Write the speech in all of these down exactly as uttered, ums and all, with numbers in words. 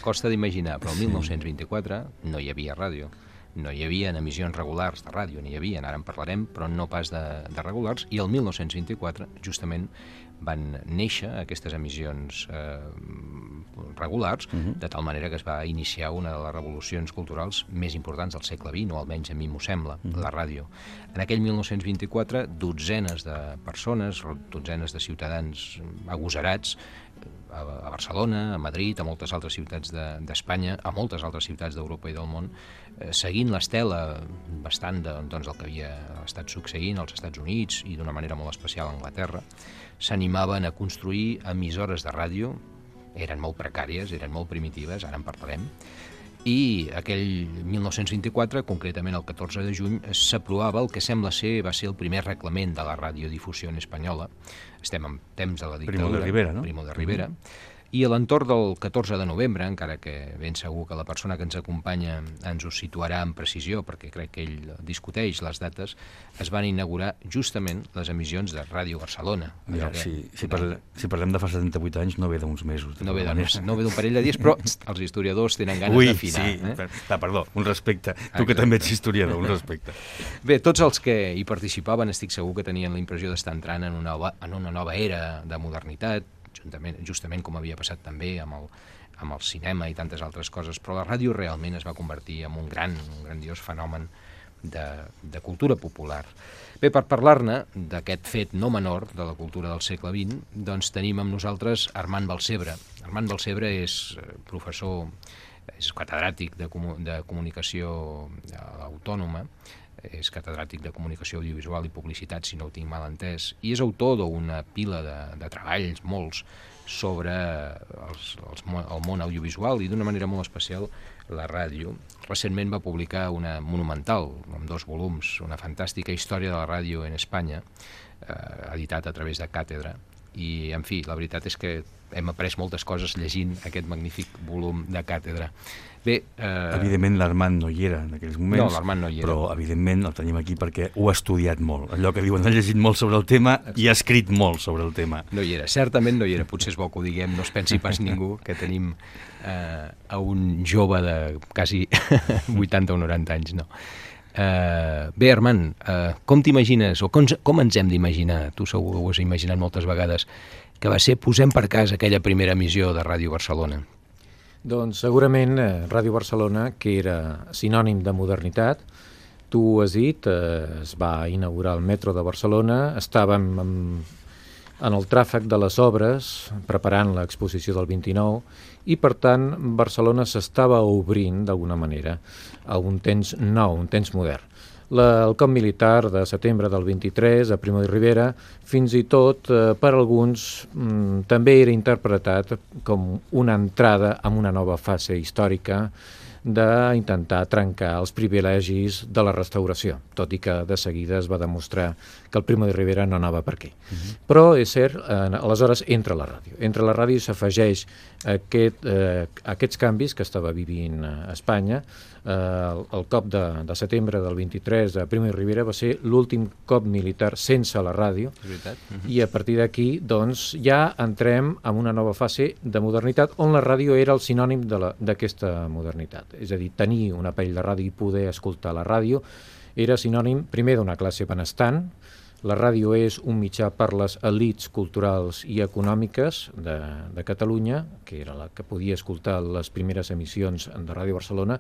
Costa d'imaginar, però el mil nou-cents vint-i-quatre no hi havia ràdio. No hi havia emissions regulars de ràdio, n'hi havia, ara en parlarem, però no pas de, de regulars, i el mil nou-cents vint-i-quatre justament van néixer aquestes emissions eh, regulars, uh-huh. de tal manera que es va iniciar una de les revolucions culturals més importants del segle vint, o almenys a mi m'ho sembla, uh-huh. la ràdio. En aquell mil nou-cents vint-i-quatre, dotzenes de persones, dotzenes de ciutadans agosarats, a Barcelona, a Madrid, a moltes altres ciutats d'Espanya, de, a moltes altres ciutats d'Europa i del món, eh, seguint l'estela bastant de, doncs, del que havia estat succeint als Estats Units i d'una manera molt especial a Anglaterra, s'animaven a construir emissores de ràdio, eren molt precàries, eren molt primitives, ara en parlarem, i aquell mil nou-cents vint-i-quatre, concretament el catorze de juny, s'aprovava el que sembla ser va ser el primer reglament de la radiodifusió espanyola. Estem en temps de la dictadura. Primo de Rivera, no? Primo de Rivera. Mm-hmm. I a l'entorn del catorze de novembre, encara que ben segur que la persona que ens acompanya ens ho situarà amb precisió, perquè crec que ell discuteix les dates, es van inaugurar justament les emissions de Ràdio Barcelona. Ja, si, si, parlem, si parlem de fa setanta-vuit anys, no ve d'uns mesos. No ve d'un parell de dies, però els historiadors tenen ganes Ui, d'afinar. Sí, eh? per, perdó, un respecte. Tu que també ets historiador, un respecte. Bé, tots els que hi participaven estic segur que tenien la impressió d'estar entrant en una, en una nova era de modernitat, Juntament, justament com havia passat també amb el, amb el cinema i tantes altres coses, però la ràdio realment es va convertir en un gran, un grandiós fenomen de, de cultura popular. Bé, per parlar-ne d'aquest fet no menor de la cultura del segle vint, doncs tenim amb nosaltres Armand Balcebre. Armand Balcebre és professor, és catedràtic de, comu de comunicació autònoma, és catedràtic de comunicació audiovisual i publicitat, si no ho tinc mal entès, i és autor d'una pila de, de treballs, molts, sobre els, els, el món audiovisual i d'una manera molt especial la ràdio. Recentment va publicar una monumental, amb dos volums, una fantàstica història de la ràdio en Espanya, eh, editat a través de Càtedra, i, en fi, la veritat és que hem après moltes coses llegint aquest magnífic volum de Càtedra. Bé, eh... Evidentment l'Armand no hi era en aquells moments, no, l'Armand no hi era. Però evidentment el tenim aquí perquè ho ha estudiat molt. Allò que diuen, ha llegit molt sobre el tema i ha escrit molt sobre el tema. No hi era, certament no hi era, potser és bo que ho diguem, no es pensi pas ningú que tenim eh, a un jove de quasi vuitanta o noranta anys, no. Uh, bé, Armand, uh, com t'imagines, o com, com ens hem d'imaginar, tu segur que ho has imaginat moltes vegades, que va ser posem per cas aquella primera emissió de Ràdio Barcelona? Doncs segurament eh, Ràdio Barcelona, que era sinònim de modernitat, tu ho has dit, eh, es va inaugurar el metro de Barcelona, estàvem en, en el tràfic de les obres, preparant l'exposició del vint-i-nou, i per tant Barcelona s'estava obrint d'alguna manera a un temps nou, un temps modern. La, el cop militar de setembre del vint-i-tres a Primo de Rivera, fins i tot eh, per alguns mm, també era interpretat com una entrada en una nova fase històrica d'intentar trencar els privilegis de la restauració, tot i que de seguida es va demostrar que el Primo de Rivera no anava per aquí. Uh-huh. Però és cert, eh, aleshores entra la ràdio. Entra la ràdio i s'afegeix aquest, eh, aquests canvis que estava vivint a Espanya. Eh, el, el cop de, de setembre del vint-i-tres de Primo de Rivera va ser l'últim cop militar sense la ràdio. És veritat. Uh-huh. I a partir d'aquí doncs, ja entrem en una nova fase de modernitat on la ràdio era el sinònim d'aquesta modernitat. És a dir, tenir un aparell de ràdio i poder escoltar la ràdio era sinònim primer d'una classe benestant. La ràdio és un mitjà per les elits culturals i econòmiques de, de Catalunya, que era la que podia escoltar les primeres emissions de Ràdio Barcelona,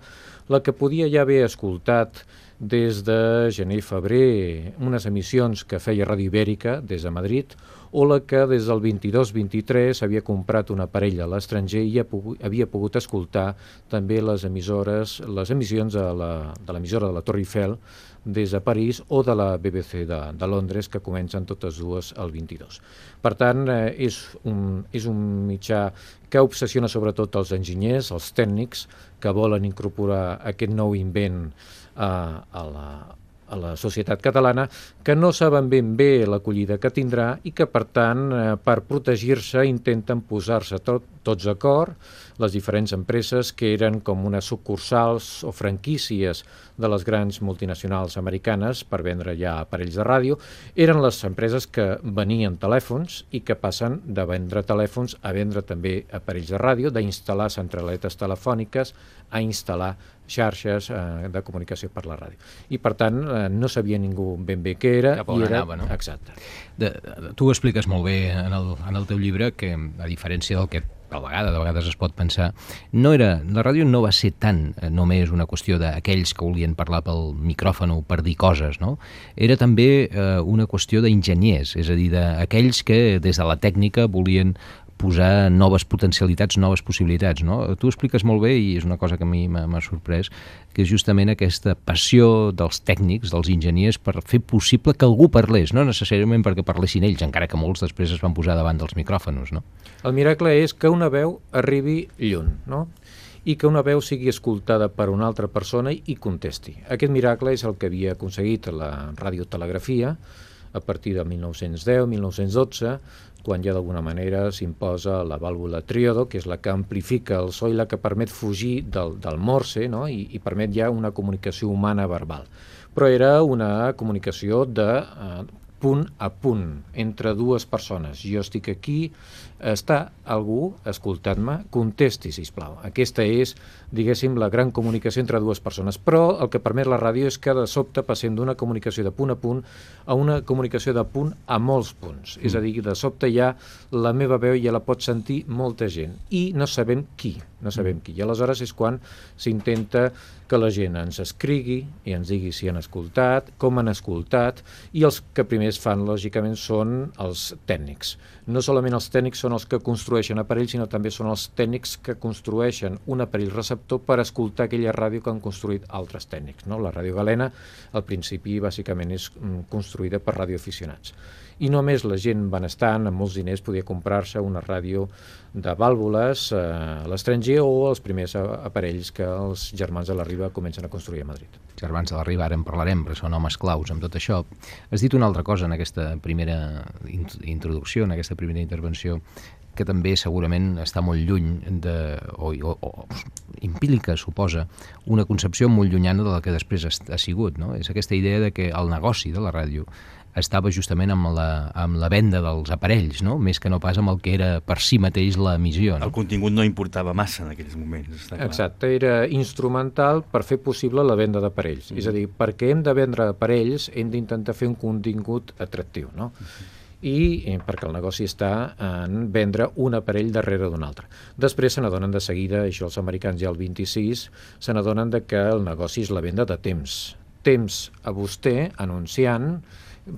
la que podia ja haver escoltat des de gener i febrer unes emissions que feia Ràdio Ibèrica des de Madrid, o la que des del vint-i-dos vint-i-tres havia comprat un aparell a l'estranger i havia pogut escoltar també les emissores, les emissions de l'emissora de la Torre Eiffel des de París o de la B B C de, de Londres, que comencen totes dues al vint-i-dos. Per tant, eh, és, un, és un mitjà que obsessiona sobretot els enginyers, els tècnics, que volen incorporar aquest nou invent a, a la a la societat catalana, que no saben ben bé l'acollida que tindrà i que, per tant, eh, per protegir-se intenten posar-se tot, tots d'acord, les diferents empreses que eren com unes sucursals o franquícies de les grans multinacionals americanes per vendre ja aparells de ràdio. Eren les empreses que venien telèfons i que passen de vendre telèfons a vendre també aparells de ràdio, d'instal·lar centraletes telefòniques, a instal·lar xarxes eh, de comunicació per la ràdio. I, per tant, eh, no sabia ningú ben bé què era. Cap on i era... anava, no? Exacte. De, de, tu ho expliques molt bé en el, en el teu llibre, que a diferència del que a la vegada, de vegades es pot pensar, no era, la ràdio no va ser tant eh, només una qüestió d'aquells que volien parlar pel micròfon o per dir coses, no? Era també eh, una qüestió d'enginyers, és a dir, d'aquells que des de la tècnica volien posar noves potencialitats, noves possibilitats, no? Tu ho expliques molt bé i és una cosa que a mi m'ha sorprès, que és justament aquesta passió dels tècnics, dels enginyers, per fer possible que algú parlés, no necessàriament perquè parlessin ells, encara que molts després es van posar davant dels micròfons, no? El miracle és que una veu arribi lluny, no? I que una veu sigui escoltada per una altra persona i contesti. Aquest miracle és el que havia aconseguit la radiotelegrafia a partir de mil nou-cents deu mil nou-cents dotze, quan ja d'alguna manera s'imposa la vàlvula triodo, que és la que amplifica el so i la que permet fugir del, del morse, no? I, i permet ja una comunicació humana verbal. Però era una comunicació de eh, punt a punt, entre dues persones. Jo estic aquí, està algú escoltant-me, contesti, sisplau. Aquesta és, diguéssim, la gran comunicació entre dues persones. Però el que permet la ràdio és que de sobte passem d'una comunicació de punt a punt a una comunicació de punt a molts punts. Mm. És a dir, de sobte ja la meva veu ja la pot sentir molta gent i no sabem qui, no sabem qui. I aleshores és quan s'intenta que la gent ens escrigui i ens digui si han escoltat, com han escoltat, i els que primers fan, lògicament, són els tècnics. No solament els tècnics són els que construeixen aparells, sinó també són els tècnics que construeixen un aparell receptor per escoltar aquella ràdio que han construït altres tècnics, no? La ràdio galena, al principi, bàsicament és construïda per radioaficionats. I només la gent benestant, amb molts diners, podia comprar-se una ràdio de vàlvules eh, a l'estranger o els primers aparells que els germans de la Riba comencen a construir a Madrid. Germans de la Riba, ara en parlarem, però són homes claus amb tot això. Has dit una altra cosa en aquesta primera introducció, en aquesta primera intervenció, que també segurament està molt lluny de, o, o, o implica, suposa, una concepció molt llunyana de la que després ha sigut, no? És aquesta idea de que el negoci de la ràdio estava justament amb la, amb la venda dels aparells, no? Més que no pas amb el que era per si mateix l'emissió. No? El contingut no importava massa en aquells moments, està clar. Exacte, era instrumental per fer possible la venda d'aparells. Mm. És a dir, perquè hem de vendre aparells hem d'intentar fer un contingut atractiu, no? Mm. I eh, perquè el negoci està en vendre un aparell darrere d'un altre. Després se n'adonen de seguida, això els americans ja el vint-i-sis, se n'adonen de que el negoci és la venda de temps. Temps a vostè, anunciant,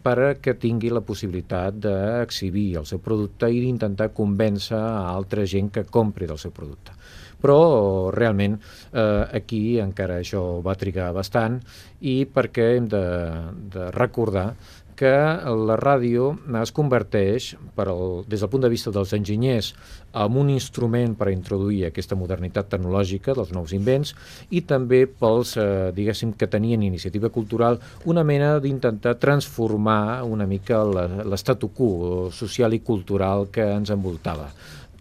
perquè tingui la possibilitat d'exhibir el seu producte i d'intentar convèncer a altra gent que compri del seu producte. Però realment eh, aquí encara això va trigar bastant i perquè hem de, de recordar que la ràdio es converteix, per el, des del punt de vista dels enginyers, en un instrument per introduir aquesta modernitat tecnològica dels nous invents i també pels, eh, diguéssim, que tenien iniciativa cultural, una mena d'intentar transformar una mica l'estatu quo social i cultural que ens envoltava.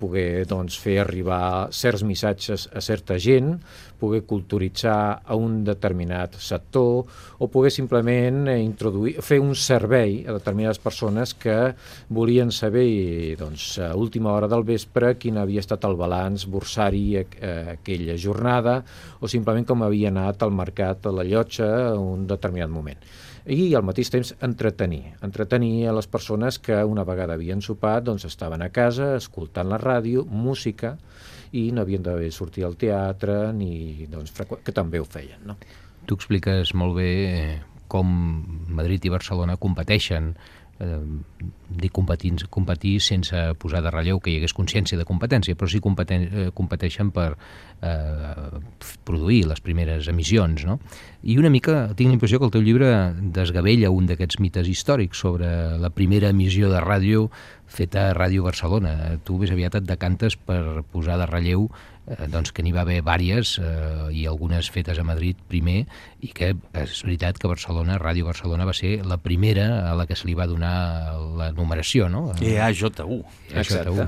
Poder doncs, fer arribar certs missatges a certa gent, poder culturitzar a un determinat sector o poder simplement introduir, fer un servei a determinades persones que volien saber doncs, a última hora del vespre quin havia estat el balanç borsari a, a aquella jornada o simplement com havia anat al mercat a la llotja a un determinat moment. I al mateix temps entretenir, entretenir a les persones que una vegada havien sopat doncs estaven a casa escoltant la ràdio, música, i no havien d'haver sortit al teatre, ni, doncs, que també ho feien. No? Tu expliques molt bé com Madrid i Barcelona competeixen, eh, dir competir, competir sense posar de relleu que hi hagués consciència de competència, però sí competen, eh, competeixen per eh, produir les primeres emissions, no? I una mica tinc la impressió que el teu llibre desgavella un d'aquests mites històrics sobre la primera emissió de ràdio feta a Ràdio Barcelona. Tu més aviat et decantes per posar de relleu eh, doncs que n'hi va haver vàries eh, i algunes fetes a Madrid primer, i que és veritat que Barcelona, Ràdio Barcelona va ser la primera a la que se li va donar la numeració, no? E A J U. Exacte.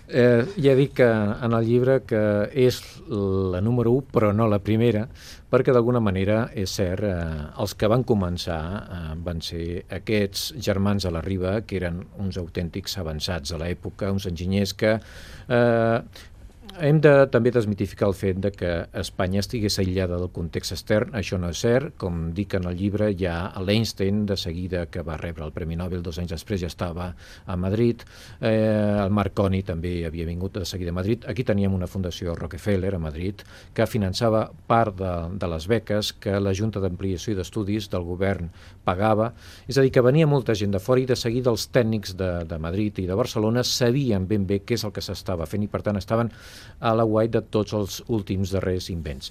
eh, ja dic que en el llibre que és la número u, però no la primera, perquè d'alguna manera, és cert, eh, els que van començar eh, van ser aquests germans a la Riba, que eren uns autèntics avançats a l'època, uns enginyers que... Eh, hem de també desmitificar el fet de que Espanya estigués aïllada del context extern. Això no és cert. Com dic en el llibre, ja l'Einstein, de seguida que va rebre el Premi Nobel, dos anys després ja estava a Madrid. Eh, el Marconi també havia vingut de seguida a Madrid. Aquí teníem una fundació Rockefeller a Madrid que finançava part de, de les beques que la Junta d'Ampliació i d'Estudis del govern pagava. És a dir, que venia molta gent de fora i de seguida els tècnics de, de Madrid i de Barcelona sabien ben bé què és el que s'estava fent i per tant estaven a l'aguait de tots els últims darrers invents.